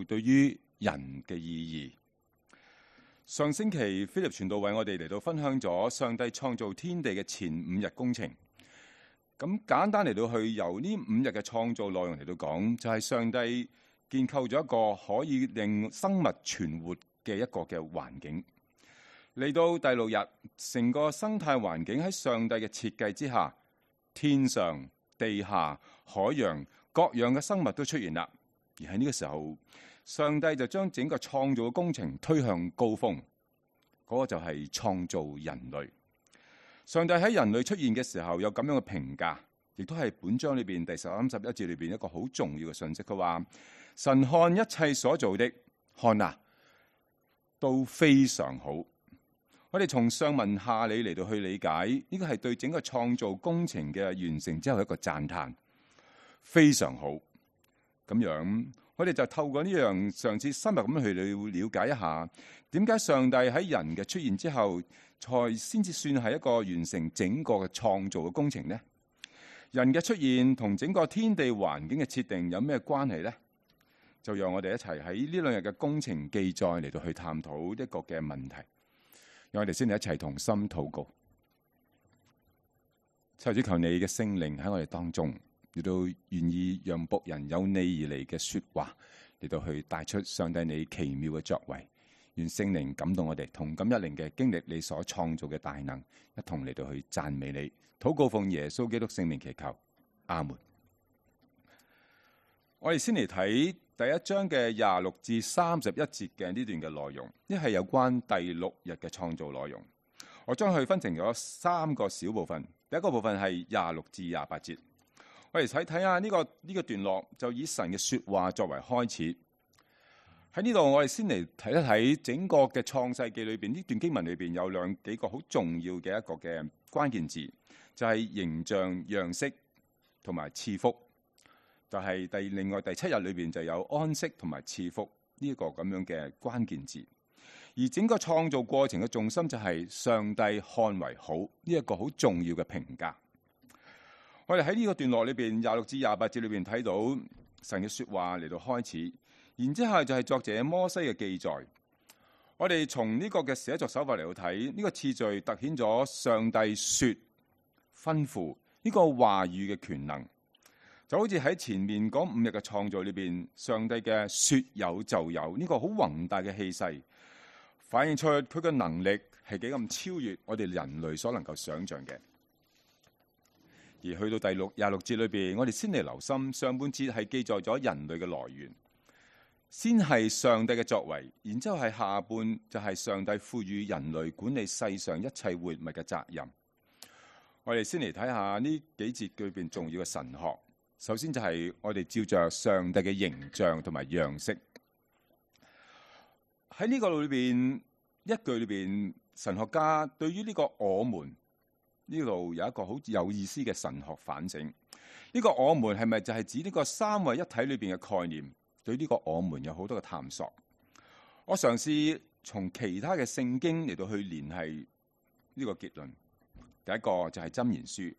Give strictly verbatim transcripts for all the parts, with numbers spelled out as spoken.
對於人嘅意義。上星期菲力傳道為我哋嚟到分享咗上帝創造天地嘅前五日工程。咁簡單嚟到去由呢五日嘅創造內容嚟到講，就係上帝建構咗一個可以令生物存活嘅一個嘅環境。嚟到第六日，成個生態環境喺上帝嘅設計之下，天上、地下、海洋各樣嘅生物都出現啦。而喺呢個時候，上帝就將整個創造嘅工程推向高峰，嗰、那個就係創造人類。上帝喺人類出現嘅時候有咁樣嘅評價，亦都係本章裏邊第三十一節裏邊一個好重要嘅信息。佢話神看一切所做的，看啊，都非常好。我哋從上文下理嚟到去理解，呢個係對整個創造工程嘅完成之後一個讚嘆，非常好。咁樣我哋就透過呢樣上次深入咁去了解一下，點解上帝喺人嘅出現之後，才先至算係一個完成整個嘅創造嘅工程呢？人嘅出現同整個天地環境嘅設定有咩關係呢？就讓我哋一齊喺呢兩日嘅工程記載嚟到去探討一個嘅問題。讓我哋先嚟一齊同心禱告，求主求你嘅聖靈喺我哋當中，亦都願意讓僕人有你而嚟嘅說話嚟到去帶出上帝你奇妙嘅作為。願聖靈感動我哋，同感一靈嘅經歷你所創造嘅大能，一同嚟到去讚美你。禱告奉耶穌基督聖名祈求，阿門。我哋先嚟睇第一章嘅廿六至三十一節嘅呢段嘅內容，呢係有關第六日嘅創造內容。我將佢分成咗三個小部分。第一個部分係廿六至廿八節，我哋睇睇下呢個呢、呢個段落，就以神嘅說話作為開始。喺呢度我哋先嚟睇一睇整個嘅創世記裏邊，呢段經文裏邊有兩幾個好重要嘅一個嘅關鍵字，就係、是、形象、樣式同埋賜福。就係第另外第七日裏邊就有安息同埋賜福呢個咁樣嘅關鍵字，而整個創造過程嘅重心就係上帝看為好呢一個好重要嘅評價。我哋喺呢個段落裏邊廿六至廿八節裏邊睇到神嘅說話嚟到開始，然之後就係作者摩西嘅記載。我哋從呢個嘅寫作手法嚟到睇，呢、這個次序凸顯咗上帝說吩咐呢個話語嘅權能。就好似喺前面嗰五日嘅創造裏邊，上帝嘅說有就有呢個好宏大嘅氣勢，反映出佢嘅能力係幾咁超越我哋人類所能夠想象嘅。而去到第六廿六節裏邊，我哋先嚟留心上半節係記載咗人類嘅來源，先係上帝嘅作為，然之後係下半就係上帝賦予人類管理世上一切活物嘅責任。我哋先嚟睇下呢幾節裏邊重要嘅神學。首先就係我哋照着上帝嘅形象同埋樣式，喺呢個裏邊一句裏邊，神學家對於呢個我們呢度有一個好有意思嘅神學反省。呢個我們係咪就係指呢個三位一體裏邊嘅概念？對呢個我們有好多嘅探索。我嘗試從其他嘅聖經嚟到去聯繫呢個結論。第一個就係箴言書。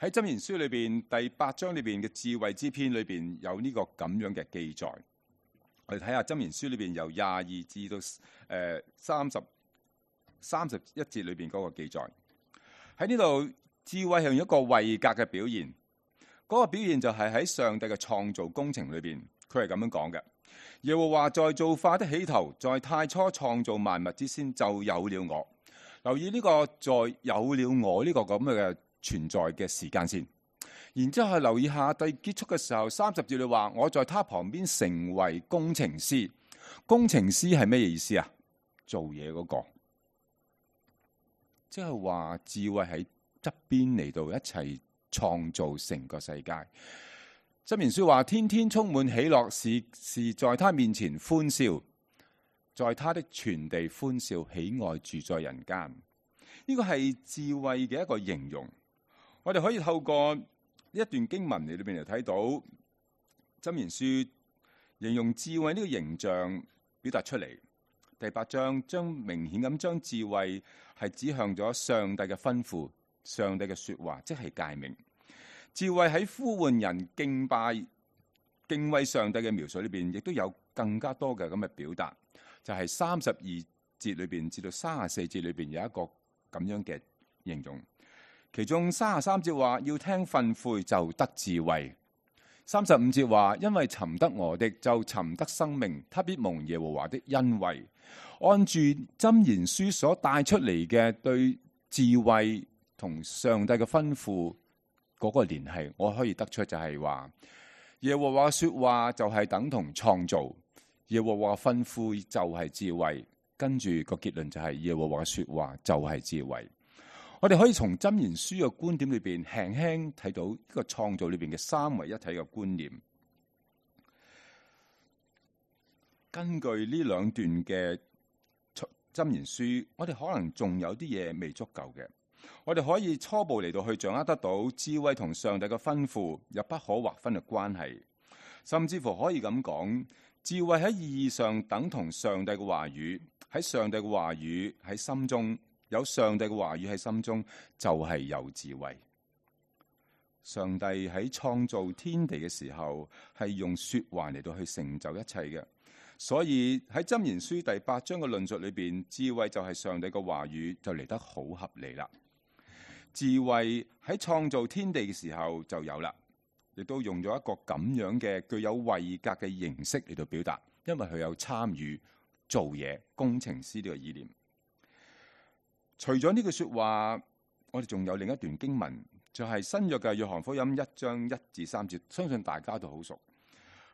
喺箴言書裏邊第八章裏邊嘅智慧之篇裏邊有呢個咁樣嘅記載。我哋睇下箴言書裏邊由廿二至到誒三十三十一節裏邊嗰個記載。喺呢度智慧係用一個位格嘅表現，嗰、那個表現就係喺上帝嘅創造工程裏邊，佢係咁樣講嘅。耶和華在造化的起頭，在太初創造萬物之先，就有了我。留意呢個在有了我呢個咁嘅存在嘅時間線，然之後留意下第結束嘅時候，三十節你話我在他旁邊成為工程師。工程師係咩意思啊？做嘢嗰個，即係話智慧喺側邊嚟到一齊創造成個世界。箴言書話天天充滿喜樂，是是在他面前歡笑，在他的全地歡笑，喜愛住在人間。呢個係智慧嘅一個形容。我哋可以透過呢一段經文嚟裏邊嚟睇到箴言書形容智慧呢個形象表達出嚟。第八章將明顯咁將智慧係指向咗上帝嘅吩咐、上帝嘅說話，即係誡命。智慧喺呼喚人敬拜、敬畏上帝嘅描述裏邊，亦都有更加多嘅咁嘅表達，就係三十二節裏邊至到三十四節裏邊有一個咁樣嘅形容。其中三十三節話要聽訓誨就得智慧，三十五節話因為尋得我的就尋得生命，他必蒙耶和華的恩惠。按住箴言書所帶出嚟嘅對智慧同上帝嘅吩咐嗰個聯繫，我可以得出就係話耶和華說話就係等同創造，耶和華吩咐就係智慧，跟住個結論就係耶和華說話就係智慧。我哋可以從箴言書嘅觀點裏邊輕輕睇到呢個創造裏邊嘅三位一體嘅觀念。根據呢兩段嘅箴言書，我哋可能仲有啲嘢未足夠嘅，我哋可以初步嚟到去掌握得到智慧同上帝嘅吩咐有不可劃分嘅關係，甚至乎可以咁講，智慧喺意義上等同上帝嘅話語，喺上帝嘅話語喺心中，有上帝嘅話語喺心中就係有智慧。上帝喺創造天地嘅時候係用說話嚟到去成就一切嘅。所以喺箴言書第八章嘅論述裏邊，智慧就係上帝嘅話語，就嚟得好合理啦。智慧喺創造天地嘅時候就有啦，亦都用咗一個咁樣嘅具有位格嘅形式嚟到表達，因為佢有參與做嘢工程師呢個意念。除咗呢句說話，我哋仲有另一段經文，就係新約嘅約翰福音一章一至三節，相信大家都好熟。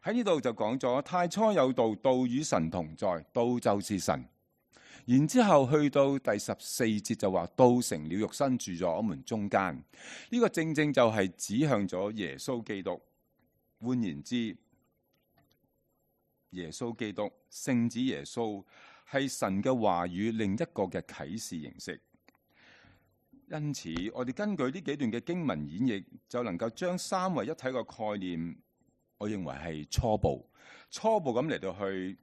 喺呢度就講咗太初有道，道與神同在，道就是神。然之後去到第十四節就話道成了肉身住咗我們中間。呢、這個正正就係指向咗耶穌基督。換言之，耶穌基督聖子耶穌係神嘅話語另一個嘅啟示形式。因此我哋根據呢幾段嘅經文演繹，就能夠將三位一體嘅概念，我認為係初步，初步咁嚟到去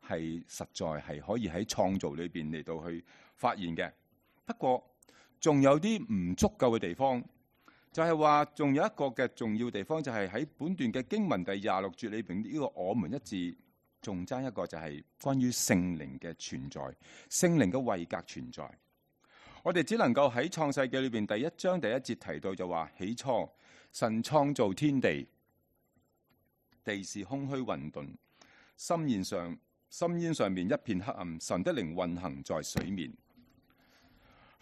係實在係可以喺創造裏邊嚟到去發現嘅。不過仲有啲唔足夠嘅地方，就係話仲有一個嘅重要地方，就係喺本段嘅經文第廿六節裏邊呢個我們一字，仲爭一個就係關於聖靈嘅存在，聖靈嘅位格存在。我哋只能夠喺創世記裏邊第一章第一節提到就話，起初神創造天地。地是空虛混沌，深淵上深淵上面一片黑暗，神的靈運行在水面。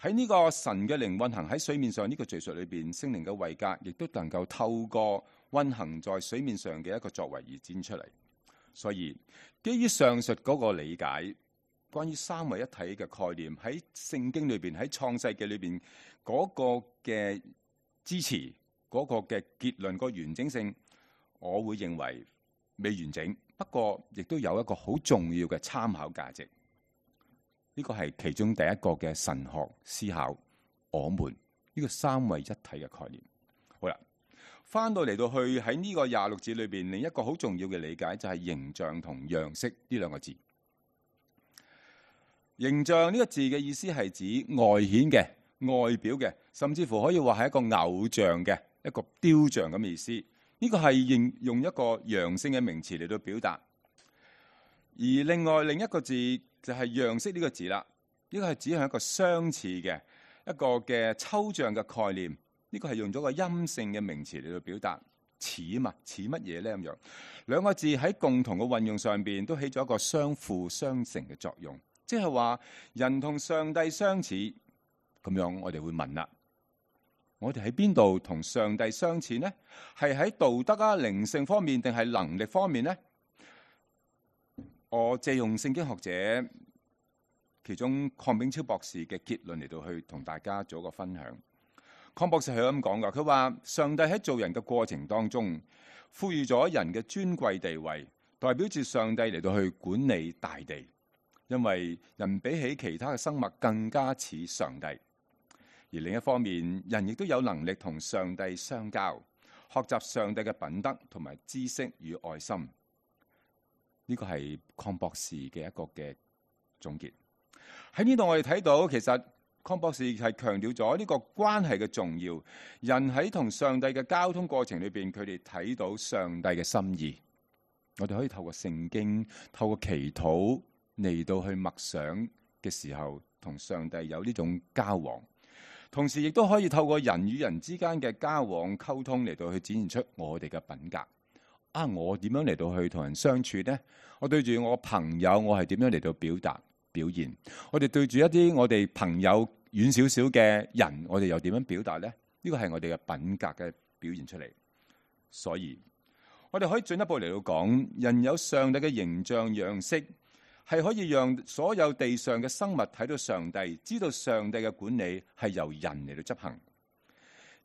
喺呢個神嘅靈運行喺水面上呢個敘述裏邊，聖靈嘅位格亦都能夠透過運行在水面上嘅一個作為而展出嚟。所以基於上述嗰個理解，關於三位一體嘅概念喺聖經裏邊，喺創世記裏邊嗰個嘅支持，嗰個嘅結論，個完整性，我會認為未完整，不過亦都有一個好重要嘅參考價值。呢個係其中第一個嘅神學思考，我們呢個三位一體嘅概念。好啦，翻到嚟到去喺呢個廿六節裏邊，另一個好重要嘅理解就係形象同樣式呢兩個字。形象呢個字嘅意思係指外顯嘅、外表嘅，甚至乎可以話係一個偶像嘅一個雕像咁嘅意思。呢個係用用一個陽性嘅名詞嚟到表達，而另外另一個字就係樣式呢個字啦。呢個係指向一個相似嘅一個嘅抽象嘅概念。呢個係用咗個陰性嘅名詞嚟到表達，似嘛，似乜嘢呢？咁樣兩個字喺共同嘅運用上邊都起咗一個相輔相成嘅作用，即係話人同上帝相似咁樣。我哋會問啦，我哋喺邊度同上帝相似呢？係喺道德啊、靈性方面，定係能力方面呢？我借用聖經學者其中鄺炳超博士嘅結論嚟到去同大家做一個分享。鄺博士係咁講噶，佢話上帝喺做人嘅過程當中，賦予咗人嘅尊貴地位，代表住上帝嚟到去管理大地，因為人比起其他嘅生物更加似上帝。而另一方面，人亦都有能力同上帝相交，學習上帝嘅品德同埋知識與愛心。呢個係鄺博士嘅一個嘅總結。喺呢度我哋睇到，其實鄺博士係強調咗呢個關係嘅重要。人喺同上帝嘅交通過程裏邊，佢哋睇到上帝嘅心意。我哋可以透過聖經、透過祈禱嚟到去默想嘅時候，同上帝有呢種交往。同時亦都可以透過人與人之間嘅交往溝通嚟到去展現出我哋嘅品格。啊，我點樣嚟到去同人相處呢？我對住我朋友，我係點樣嚟到表達表現？我哋對住一啲我哋朋友遠少少嘅人，我哋又點樣表達呢？呢個係我哋嘅品格嘅表現出嚟。所以我哋可以進一步嚟到講，人有上帝嘅形象樣式，係可以讓所有地上嘅生物睇到上帝，知道上帝嘅管理係由人嚟到執行。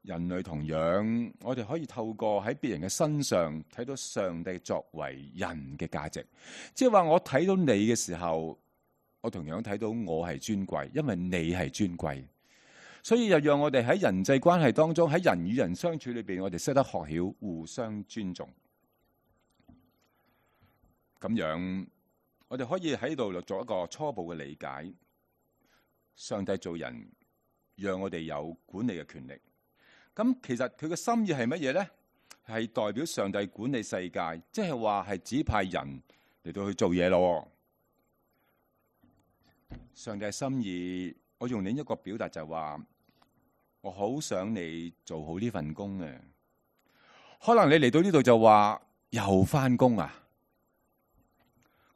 人類同樣，我哋可以透過喺別人嘅身上睇到上帝作為人嘅價值。即係話我睇到你嘅時候，我同樣睇到我係尊貴，因為你係尊貴。所以又讓我哋喺人際關係當中，喺人與人相處裏邊，我哋識得學曉互相尊重。咁樣，我哋可以喺度做一個初步嘅理解。上帝做人，讓我哋有管理嘅權力。咁其實佢嘅心意係乜嘢呢？係代表上帝管理世界，即係話係指派人嚟到去做嘢咯。上帝嘅心意，我用另一個表達就係話，我好想你做好呢份工嘅。可能你嚟到呢度就話又返工啊？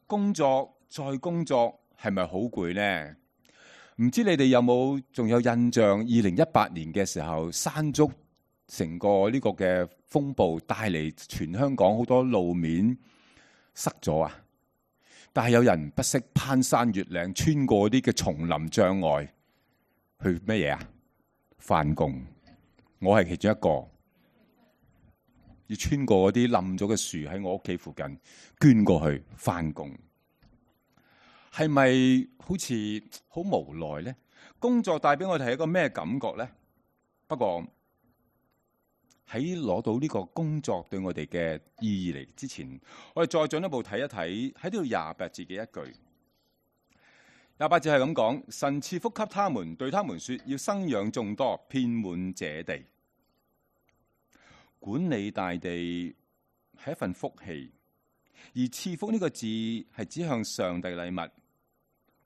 工作再工作係咪好攰呢？唔知你哋有冇仲有印象？二零一八年嘅時候，山竹成個呢個嘅風暴帶嚟全香港好多路面塞咗啊！但係有人不惜攀山越嶺，穿過啲嘅叢林障礙去乜嘢啊？返工。我係其中一個，要穿過嗰啲冧咗嘅樹喺我屋企附近，捐過去返工。係咪好似好無奈呢？工作帶俾我哋係一個咩感覺呢？不過喺攞到呢個工作對我哋嘅意義嚟之前，我哋再進一步睇一睇喺呢度廿八節嘅一句。廿八節係咁講：神賜福給他們，對他們說，要生養眾多，遍滿這地。管理大地係一份福氣，而賜福呢個字係指向上帝嘅禮物。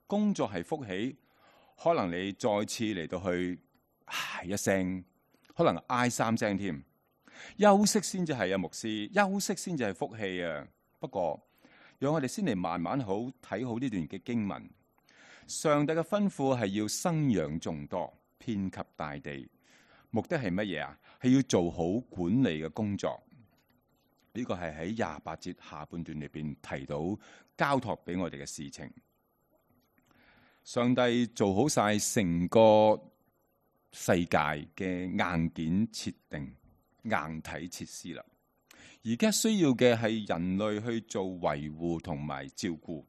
工作係福氣，可能你再次嚟到去唉一聲，可能嗌三聲添。休息先至係啊，牧師，休息先至係福氣啊。不過，讓我哋先嚟慢慢好睇好呢段嘅經文。上帝嘅吩咐係要生養眾多，遍及大地，目的係乜嘢啊？係要做好管理嘅工作。呢個係喺廿八節下半段裏邊提到交託俾我哋嘅事情。上帝做好晒成個世界嘅硬件設定、硬體設施啦。而家需要嘅係人類去做維護同埋照顧，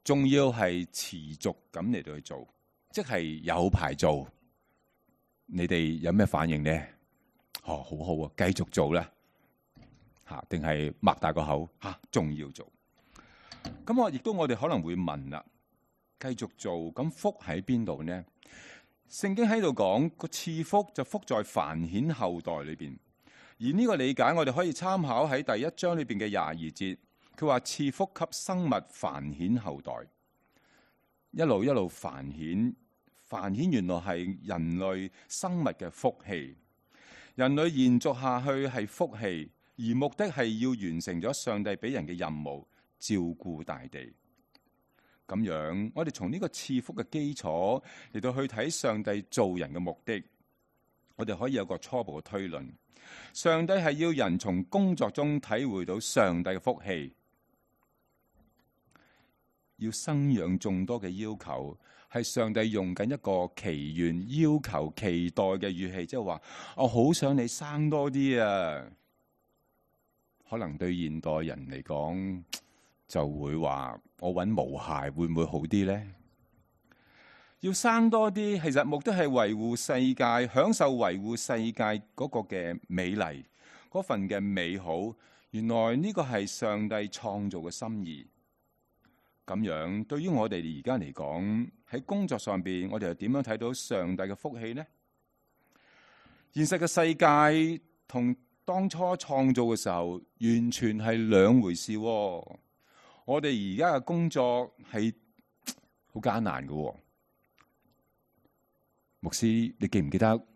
仲要係持續咁嚟到去做，即係有排做。你哋有咩反應呢？哦，好好啊，繼續做啦。吓，定係擘大個口吓，仲要做？咁我亦都我哋可能會問啦。繼續做，咁福喺邊度呢？聖經喺度講個賜福就福在繁衍後代裏邊，而呢個理解我哋可以參考喺第一章裏邊嘅廿二節，佢話賜福給生物繁衍後代，一路一路繁衍，繁衍原來係人類生物嘅福氣，人類延續下去係福氣，而目的係要完成咗上帝俾人嘅任務，照顧大地。咁樣，我哋從呢個賜福嘅基礎嚟到去睇上帝造人嘅目的，我哋可以有個初步嘅推論。上帝係要人從工作中體會到上帝嘅福氣，要生養眾多嘅要求，係上帝用緊一個祈願、要求、期待嘅語氣，即係話我好想你生多啲啊。可能對現代人嚟講，就會話我搵毛孩會唔會好啲呢？要生多啲，其實目的係維護世界，享受維護世界嗰個嘅美麗，嗰份嘅美好。原來呢個係上帝創造嘅心意。咁樣對於我哋而家嚟講，喺工作上邊，我哋又點樣睇到上帝嘅福氣呢？現實嘅世界同當初創造嘅時候完全係兩回事喎。我哋而家嘅工作係好艱難嘅喎。牧師，你記唔記得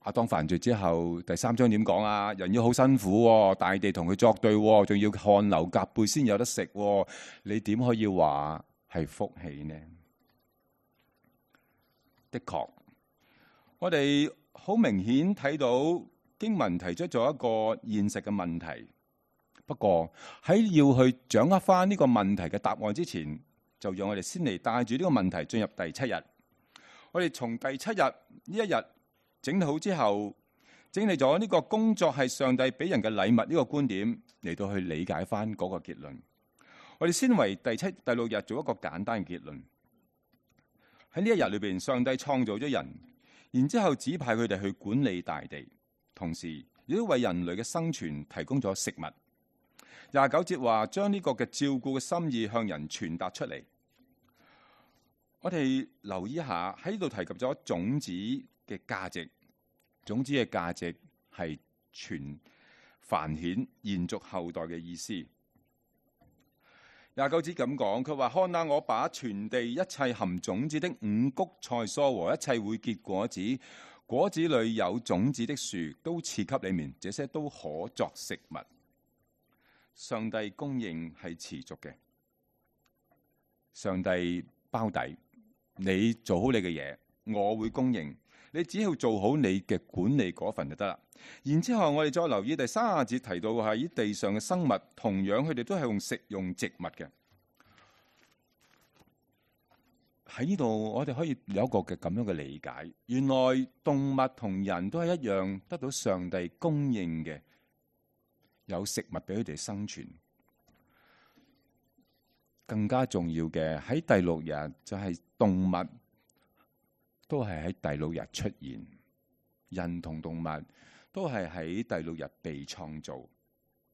亞當犯罪之後第三章點講啊？人要好辛苦喎，大地同佢作對喎，仲要汗流浹背先有得食喎。你點可以話係福氣呢？的確，我哋好明顯睇到經文提出咗一個現實嘅問題。不過喺要去掌握翻呢個問題嘅答案之前，就讓我哋先嚟帶住呢個問題進入第七日。我哋從第七日呢一日整理好之後，整理咗呢個工作係上帝俾人嘅禮物呢個觀點嚟到去理解翻嗰個結論。我哋先為第七、第六日做一個簡單嘅結論。喺呢一日裏邊，上帝創造咗人，然之後指派佢哋去管理大地，同時亦都為人類嘅生存提供咗食物。廿九節話將呢個嘅照顧嘅心意向人傳達出嚟。我哋留意一下喺呢度提及咗種子嘅價值，種子嘅價值係傳繁衍、延續後代嘅意思。廿九節咁講，佢話：看哪，我把全地一切含種子的五穀菜蔬和一切會結果子、果子裏有種子的樹，都賜給你們，這些都可作食物。上帝供應係持續嘅，上帝包底。你做好你嘅嘢，我會供應。你只要做好你嘅管理嗰份就得啦。然之後我哋再留意第三十節提到喺地上嘅生物，同樣佢哋都係用食用植物嘅。喺呢度我哋可以有一個嘅咁樣嘅理解，原來動物同人都係一樣得到上帝供應嘅，有食物俾佢哋生存。更加重要嘅喺第六日就係動物都係喺第六日出現，人同動物都係喺第六日被創造。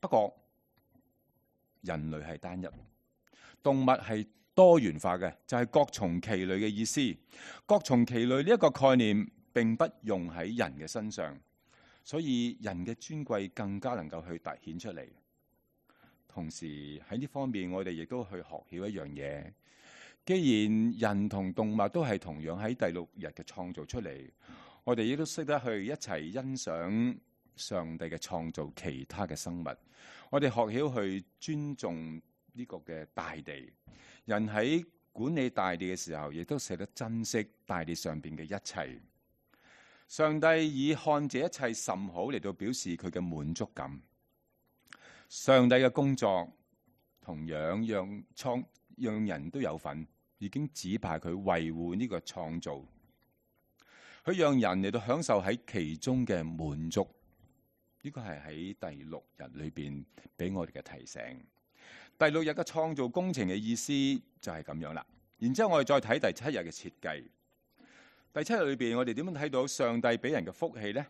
不過人類係單一，動物係多元化嘅，就係各從其類嘅意思。各從其類呢一個概念並不用喺人嘅身上，所以人嘅尊貴更加能夠去凸顯出嚟。同時喺呢方面，我哋亦都去學曉一樣嘢。既然人同動物都係同樣喺第六日嘅創造出嚟，我哋亦都識得去一齊欣賞上帝嘅創造其他嘅生物。我哋學曉去尊重呢個嘅大地。人喺管理大地嘅時候，亦都捨得珍惜大地上邊嘅一切。上帝以看這一切甚好嚟到表示佢嘅滿足感。上帝嘅工作同樣讓創讓人都有份，已經指派佢維護呢個創造，佢讓人嚟到享受喺其中嘅滿足。呢個係喺第六日裏邊俾我哋嘅提醒。第六日嘅創造工程嘅意思就係咁樣啦。然之後我哋再睇第七日嘅設計。第七日裏邊我哋點樣睇到上帝俾人嘅福氣呢？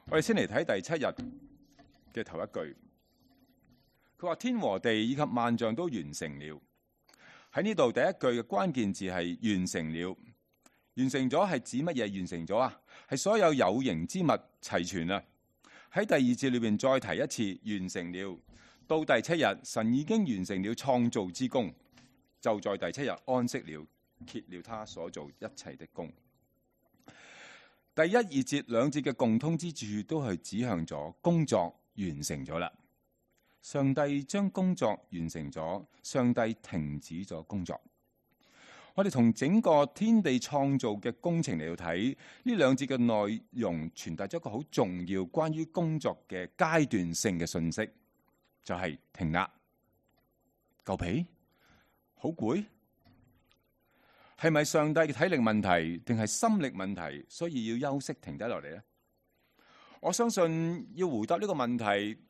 我哋先嚟睇第七日嘅頭一句。佢話天和地以及萬象都完成了。喺呢度第一句嘅關鍵字係完成了。完成咗係指乜嘢？完成咗啊，係所有有形之物齊全啦。喺第二節裏邊再提一次完成了。到第七日，神已經完成了創造之功，就在第七日安息了，歇了他所做一切的工。第一、二節兩節嘅共通之處都係指向咗工作完成咗啦。上帝將工作完成咗，上帝停止咗工作。我哋從整個天地創造嘅工程嚟到睇，呢兩節嘅內容傳達咗一個好重要關於工作嘅階段性嘅信息，就係停啦。夠皮？好攰？係咪上帝嘅體力問題，定係心力問題，所以要休息停低落嚟呢？我相信要回答呢個問題，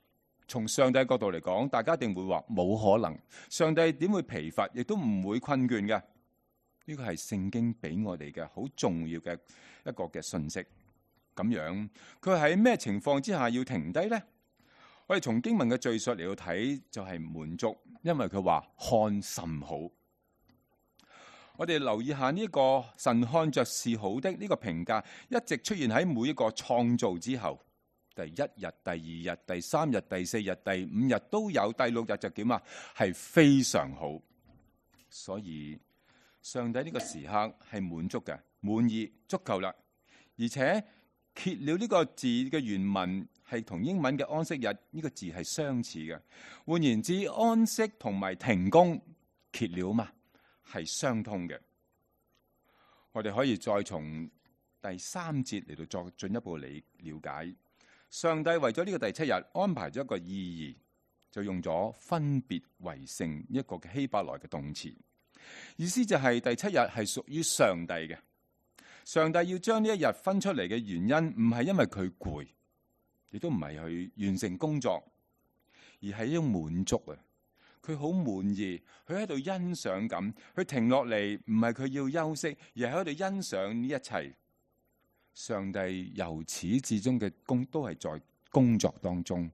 從上帝角度嚟講，大家一定會話冇可能。上帝點會疲乏，亦都唔會困倦嘅。呢個係聖經俾我哋嘅好重要嘅一個嘅信息。咁樣佢喺咩情況之下要停低呢？我哋從經文嘅敘述嚟到睇，就係滿足，因為佢話看甚好。我哋留意下呢個神看着是好的呢個評價，一直出現喺每一個創造之後。第一日、第二日、第三日、第四日、第五日都有，第六日就點啊？係非常好。所以上帝呢個時刻係滿足嘅，滿意，足夠啦。而且歇了呢個字嘅原文係同英文嘅安息日呢個字係相似嘅。換言之，安息同埋停工歇了嘛，係相通嘅。我哋可以再從第三節嚟到作進一步嚟了解。上帝為咗呢個第七日安排咗一個意義，就用咗分別為聖一個嘅希伯來嘅動詞，意思就係第七日係屬於上帝嘅。上帝要將呢一日分出嚟嘅原因，唔係因為佢攰，亦都唔係去完成工作，而係一種滿足啊！佢好滿意，佢喺度欣賞緊，佢停落嚟唔係佢要休息，而係喺度欣賞呢一切。上帝由始至終嘅工都係在工作當中。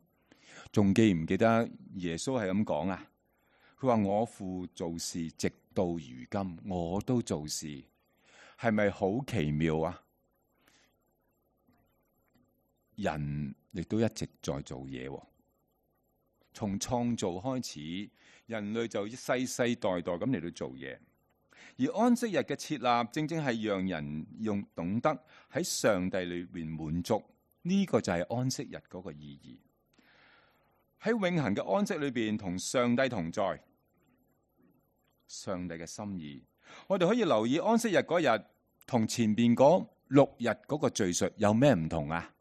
仲記唔記得耶穌係咁講啊？佢話我父做事直到如今，我都做事，係咪好奇妙啊？人亦都一直在做嘢，從創造開始，人類就世世代代咁嚟到做嘢。而安息日嘅設立，正正係讓人用懂得喺上帝裏邊滿足，呢、這個就係安息日嗰個意義。喺永恆嘅安息裏邊，同上帝同在，上帝嘅心意。我哋可以留意安息日嗰日同前邊嗰六日嗰個敘述有咩唔同啊？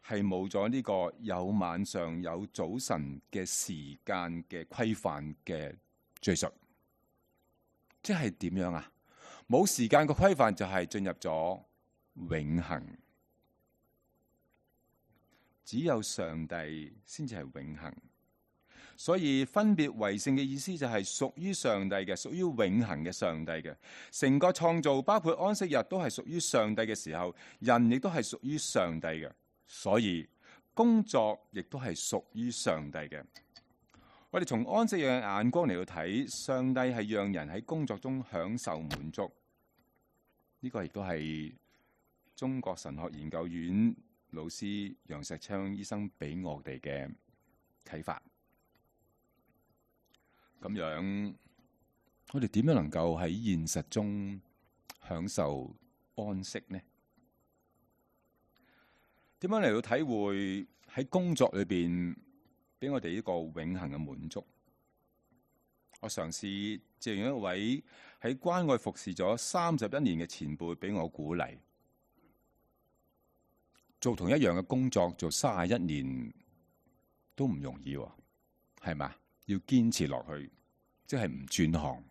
係冇咗呢個有晚上有早晨嘅時間嘅規範嘅敘述。即係點樣啊？冇時間嘅規範就係進入咗永恆，只有上帝先至係永恆。所以分別為聖嘅意思就係屬於上帝嘅，屬於永恆嘅上帝嘅。成個創造包括安息日都係屬於上帝嘅時候，人亦都係屬於上帝嘅。所以工作亦都係屬於上帝嘅。我哋從安息日嘅眼光嚟到睇，上帝係讓人喺工作中享受滿足。呢、這個亦都係中國神學研究院老師楊石昌醫生俾我哋嘅啟發。咁樣，我哋點樣能夠喺現實中享受安息呢？點樣嚟到體會喺工作裏邊俾我哋呢個永恆嘅滿足？我嘗試借用一位喺關愛服侍咗三十一年嘅前輩俾我鼓勵。做同一樣嘅工作做三十一年都唔容易，係嘛？要堅持落去，即係唔轉行。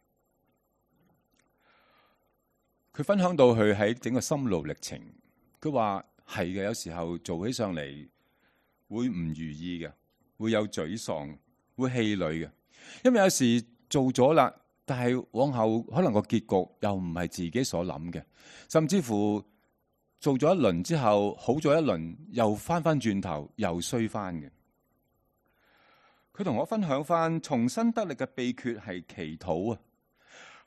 佢分享到佢喺整個心路歷程，佢話係嘅，有時候做起上嚟會唔如意嘅，會有沮喪，會氣餒嘅。因為有時做咗啦，但係往後可能個結局又唔係自己所諗嘅，甚至乎做咗一輪之後好咗一輪，又翻翻轉頭又衰翻嘅。佢同我分享翻重新得力嘅秘訣係祈禱啊！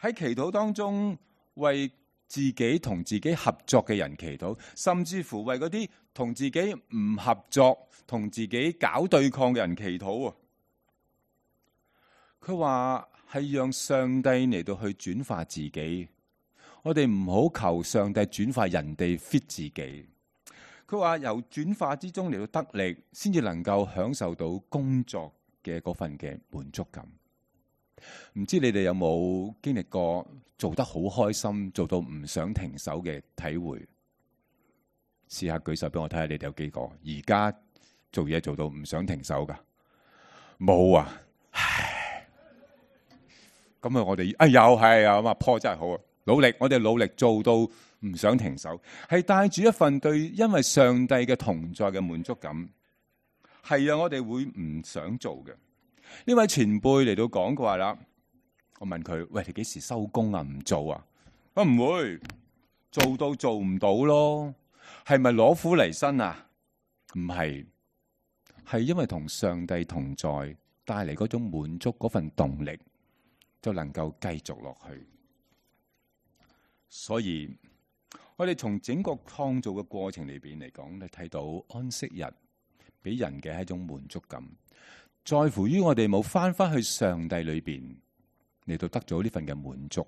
喺祈禱當中為自己同自己合作嘅人祈禱，甚至乎為嗰啲同自己唔合作、同自己搞對抗嘅人祈禱啊！佢話係讓上帝嚟到去轉化自己，我哋唔好求上帝轉化人哋 fit 自己。佢話由轉化之中嚟到得力，先至能夠享受到工作嘅嗰份嘅滿足感。唔知你哋有冇經歷過做得好開心，做到唔想停手嘅體會？試下舉手俾我睇下，你哋有幾個而家做嘢做到唔想停手噶？冇啊！唉，咁啊，我哋啊又係啊嘛，破真係好啊！努力，我哋努力做到唔想停手，係帶住一份對因為上帝嘅同在嘅滿足感。係啊，我哋會唔想做嘅。呢位前輩嚟到講佢話啦，我問佢：喂，你幾時收工啊？唔做啊？我唔會做到做唔到咯。係咪攞苦嚟辛啊？唔係，係因為同上帝同在帶嚟嗰種滿足，嗰份動力就能夠繼續落去。所以我哋從整個創造嘅過程裏邊嚟講，你睇到安息日俾人嘅係一種滿足感，在乎於我哋冇翻翻去上帝裏邊嚟到得咗呢份嘅滿足。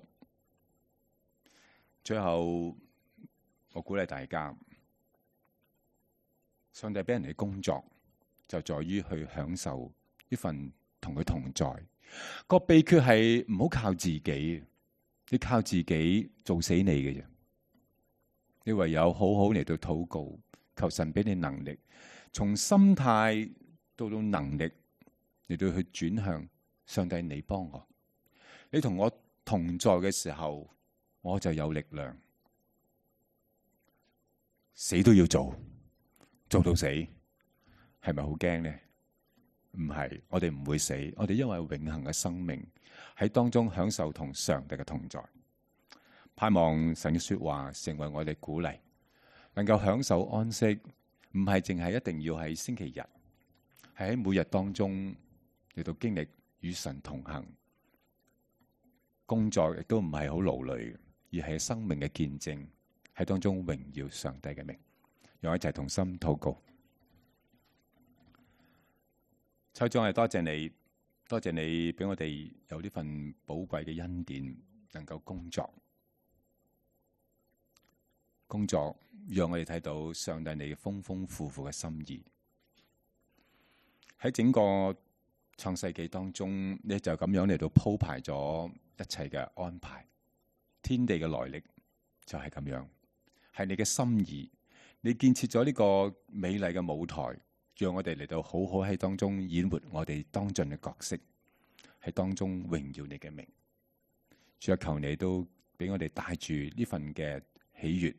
最後，我鼓勵大家，上帝俾人哋工作就在於去享受呢份同佢同在。個秘訣係唔好靠自己，你靠自己做死你嘅啫。你唯有好好嚟到禱告，求神俾你能力，從心態到到能力嚟到去轉向上帝。你幫我，你同我同在嘅時候，我就有力量，死都要做，做到死，係咪好驚呢？唔係，我哋唔會死，我哋因為永恆嘅生命喺當中享受同上帝嘅同在。盼望神嘅說話成為我哋鼓勵，能夠享受安息，唔係淨係一定要喺星期日，係喺每日當中嚟到經歷與神同行。工作亦都唔係好勞累，而係生命嘅見證，喺當中榮耀上帝嘅名。讓我一齊同心禱告。秋莊，係多謝你，多謝你俾我哋有呢份寶貴嘅恩典，能夠工作。工作讓我哋睇到上帝你豐豐富富嘅心意。喺整個創世紀當中，你就咁樣嚟到鋪排咗一切嘅安排。天地嘅來歷就係咁樣，係你嘅心意。你建設咗呢個美麗嘅舞台，讓我哋嚟到好好喺當中演活我哋當盡嘅角色，喺當中榮耀你嘅名。主啊，求你都俾我哋帶住呢份嘅喜悅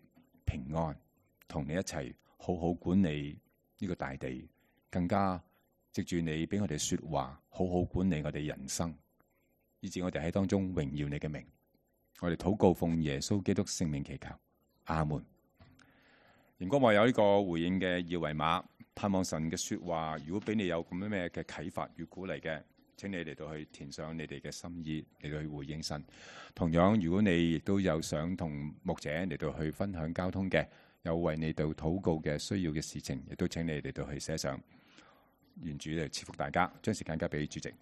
平安，同你一齊好好管理呢個大地，更加藉住你俾我哋說話，好好管理我哋人生，以致我哋喺當中榮耀你嘅名。我哋禱告奉耶穌基督聖名祈求，阿門。熒光幕有呢個回應嘅二維碼，盼望神嘅說話，如果俾你有咁樣咩嘅啟發與鼓勵嘅，請你嚟到去填上你哋嘅心意嚟到去回應神。同樣，如果你亦都有想同牧者嚟到去分享交通嘅，有為你哋禱告嘅需要嘅事情，亦都請你嚟到去寫上。願主嚟賜福大家，將時間交俾主席。